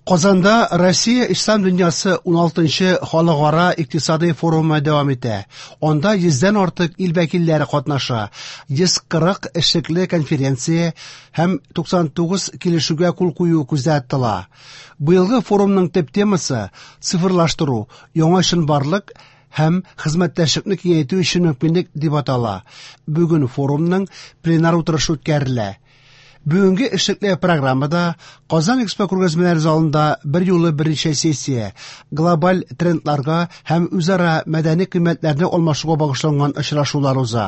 Казанда Россия Ислам дөньясы 16нчы халыкара икътисадый форумы дәвам итә. Анда 100дән артык ил вәкилләре катнаша. 140 эшлекле конференция һәм 99 килешүгә кул кую күздә тотыла. Быелгы форумның төп темасы цифрлаштыру, яңа чынбарлык һәм хезмәттәшлекне киңәйтү өчен мөмкинлек дип атала. Бүген форумның пленар утырышы үткәрелә. Бүгенге эшлекле программада Казан Экспо күргәзмәләр залында бер юлы берничә сессия, глобаль трендларга һәм үзара мәдәни кыйммәтләрне алмашуга багышланган очрашулар уза.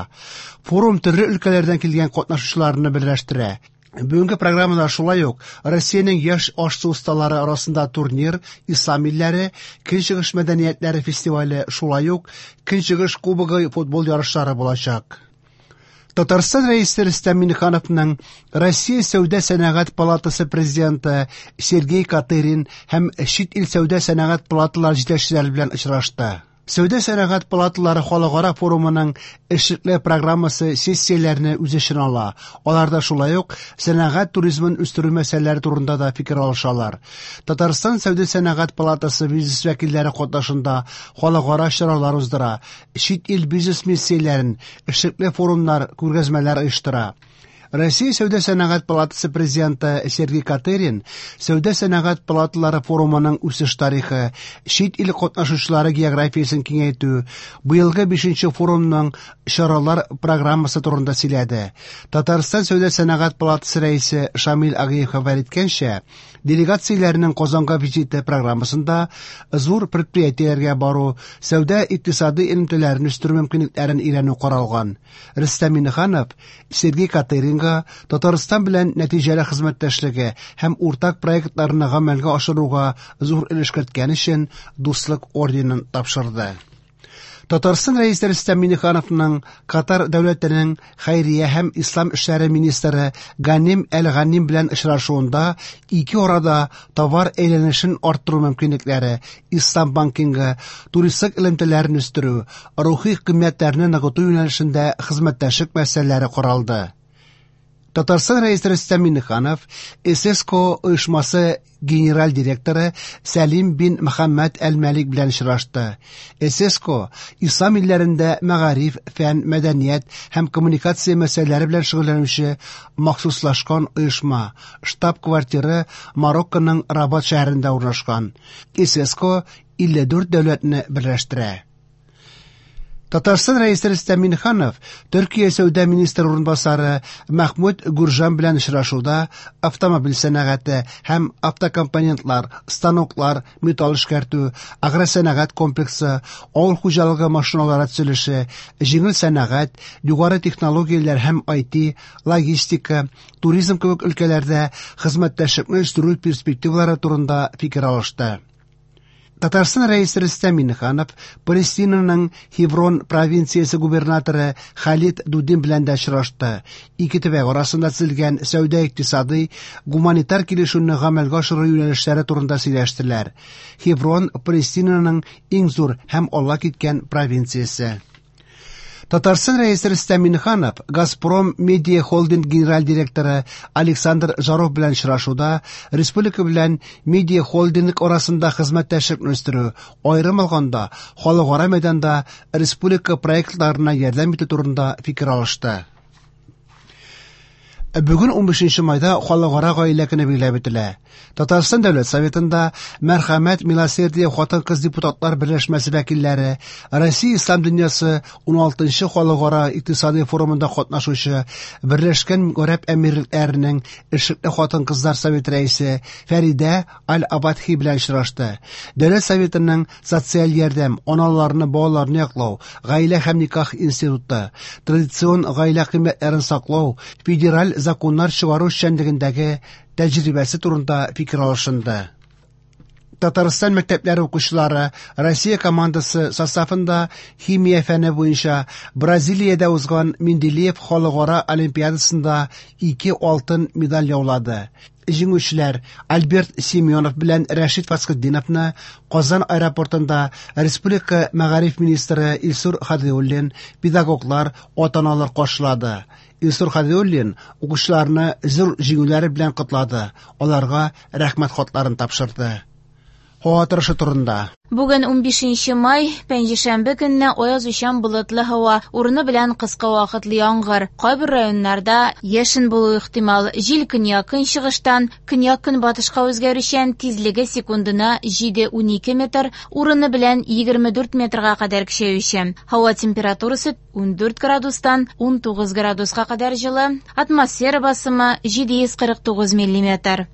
Форум төрле өлкәләрдән килгән катнашучыларны берләштерә. Бүгенге программада шулай ук Россиянең яшь аш-су осталары арасында турнир, Ислам илләре, Көнчыгыш мәдәниятләре фестивале, шулай ук Көнчыгыш кубогы футбол ярышлары булачак. Татарстан Рәисе Рөстәм Миңнехановның Россия Сәүдә сәнәгать палатасы президенты Сергей Катырин һәм чит ил сәүдә сәнәгать палаталары җитәкчеләре белән очрашты. Сәүдә сәнәгать палаталары халыкара форумының эшлекле программасы сессияләрне үз эченә ала. Аларда шулай ук сәнәгать туризмын үстерү мәсьәләләре турында да фикер алышалар. Татарстан Сәүдә сәнәгать палатасы бизнес вәкилләре катнашында халыкара чаралар уздыра, чит ил бизнес миссияләрен, эшлекле форумнар, күргәзмәләр оештыра. Россия Сәүдә сәнәгать палатасы президенты Сергей Катырин Сәүдә сәнәгать палаталары форумының үсеш тарихы, чит ил катнашучылары географиясен киңәйтү, быелгы 5нче форумның чаралар программасы турында сөйләде. Татарстан Сәүдә сәнәгать палатасы рәисе Шамил Агиев хәбәр иткәнчә, делегацияләрнең Казанга визиты программасында зур предприятиеләргә бару, сәүдә икътисади элемтәләрен үстерү мөмкинлекләрен өйрәнү каралган. Рөстәм Миңнеханов Сергей Катыринга Татарстан белән нәтиҗәле хезмәттәшлеге һәм уртак проектларны гамәлгә ашыруга зур өлеш керткән өчен Дуслык орденын тапшырды. Татарстан Рәисе Рөстәм Миңнехановның Катар дәүләтенең хәйрия һәм ислам эшләре министры Ганим Әл-Ганим белән очрашуында ике арада товар әйләнешен арттыру мөмкинлекләре, ислам банкингы, туристлык элемтәләрен үстерү, рухи кыйммәтләрне ныгыту юнәлешендә хезмәттәшлек мәсьәләләре каралды. Татарстан Рәисе Рөстәм Миңнеханов ССКО оешмасы генераль директоры Сәлим бин Мөхәммәд Әл-Мәлик белән очрашты. ССКО ислам илләрендә мәгариф, фән, мәдәният һәм коммуникация мәсьәләләре белән шөгыльләнүче махсуслашкан оешма. Штаб-квартиры Марокконың Рабат шәһәрендә урнашкан. ССКО 54 дәүләтне берләштерә. Татарстан Рәисе Рөстәм Миңнеханов Төркия сәүдә министры урынбасары Мәхмүт Гүржан белән очрашуда автомобиль сәнәгате һәм автокомпонентлар, станоклар, металл эшкәртү, агросәнәгать комплексы, авыл хуҗалыгы машиналары төзелеше, җиңел сәнәгать, югары технологияләр һәм IT, логистика, туризм кебек өлкәләрдә хезмәттәшлекне үстерү перспективалары турында фикер алышты. Татарстан Рәисе Рөстәм Миңнеханов Палестинаның Хеврон провинциясе губернаторы Халид Дудин белән дә очрашты. Ике төбәк арасында төзелгән сәүдә-икътисадый, гуманитар килешүне гамәлгә ашыру юнәлешләре турында сөйләштеләр. Хеврон Палестинаның иң зур һәм алга киткән провинциясе. Татарстан Рәисе Рөстәм Миңнеханов Газпром Медиа Холдинг генераль директоры Александр Жаров белән очрашуда республика белән Медиа Холдинг арасында хезмәттәшлекне үстерү, аерым алганда, халыкара мәйданда республика проектларына ярдәм итү турында фикер алышты. Бүген 15 майда халыкара гаилә көне билгеләп үтелә. Татарстан Дәүләт Советында Мәрхәмәт Милосердие хатын-кыз депутатлар берләшмәсе вәкилләре, Россия Ислам дөньясы 16нчы халыкара икътисади форумында катнашучы Берләшкән Гарәп Әмирлекләренең эшлекле хатын-кызлар советы рәисе Фәридә Аль-Абадхи белән очрашты. Дәүләт Советының социаль ярдәм, аналарны, балаларны яклау, гаилә һәм никах институты, традицион гаилә кыйммәтләрен саклау, федераль законнар чыгару эшчәнлегендәге тәҗрибәсе турында фикер алышынды. Татарстан мәктәпләре укучылары Россия командасы составында химия фәне буенча Бразилиядә узган Менделеев халыкара олимпиадасында 2 алтын медаль яулады. Җиңүчеләр Альберт Семенов белән Рәшит Фасхетдиновны Казан аэропортында республика мәгариф министры Илсур Һадиуллин, педагоглар, ата-аналар каршылады. Илсур Һадиуллин укучыларны зур җиңүләре белән котлады, аларга рәхмәт хатларын тапшырды. Һава торышы турында. Бүген 15 май, пәнҗешәмбе көнне аязучан болытлы һава, урыны белән кыска вакытлы яңгыр. Кайбер районнарда яшен булу ихтимал. Җил көньяк-көнчыгыштан көньяк-көнбатышка үзгәрүчән, тизлеге секундына 7-12 метр, урыны белән 24 метрга кадәр көчәючән. Һава температурасы 14 градустан 19 градуска кадәр җылы, атмосфера басымы 749 миллиметр.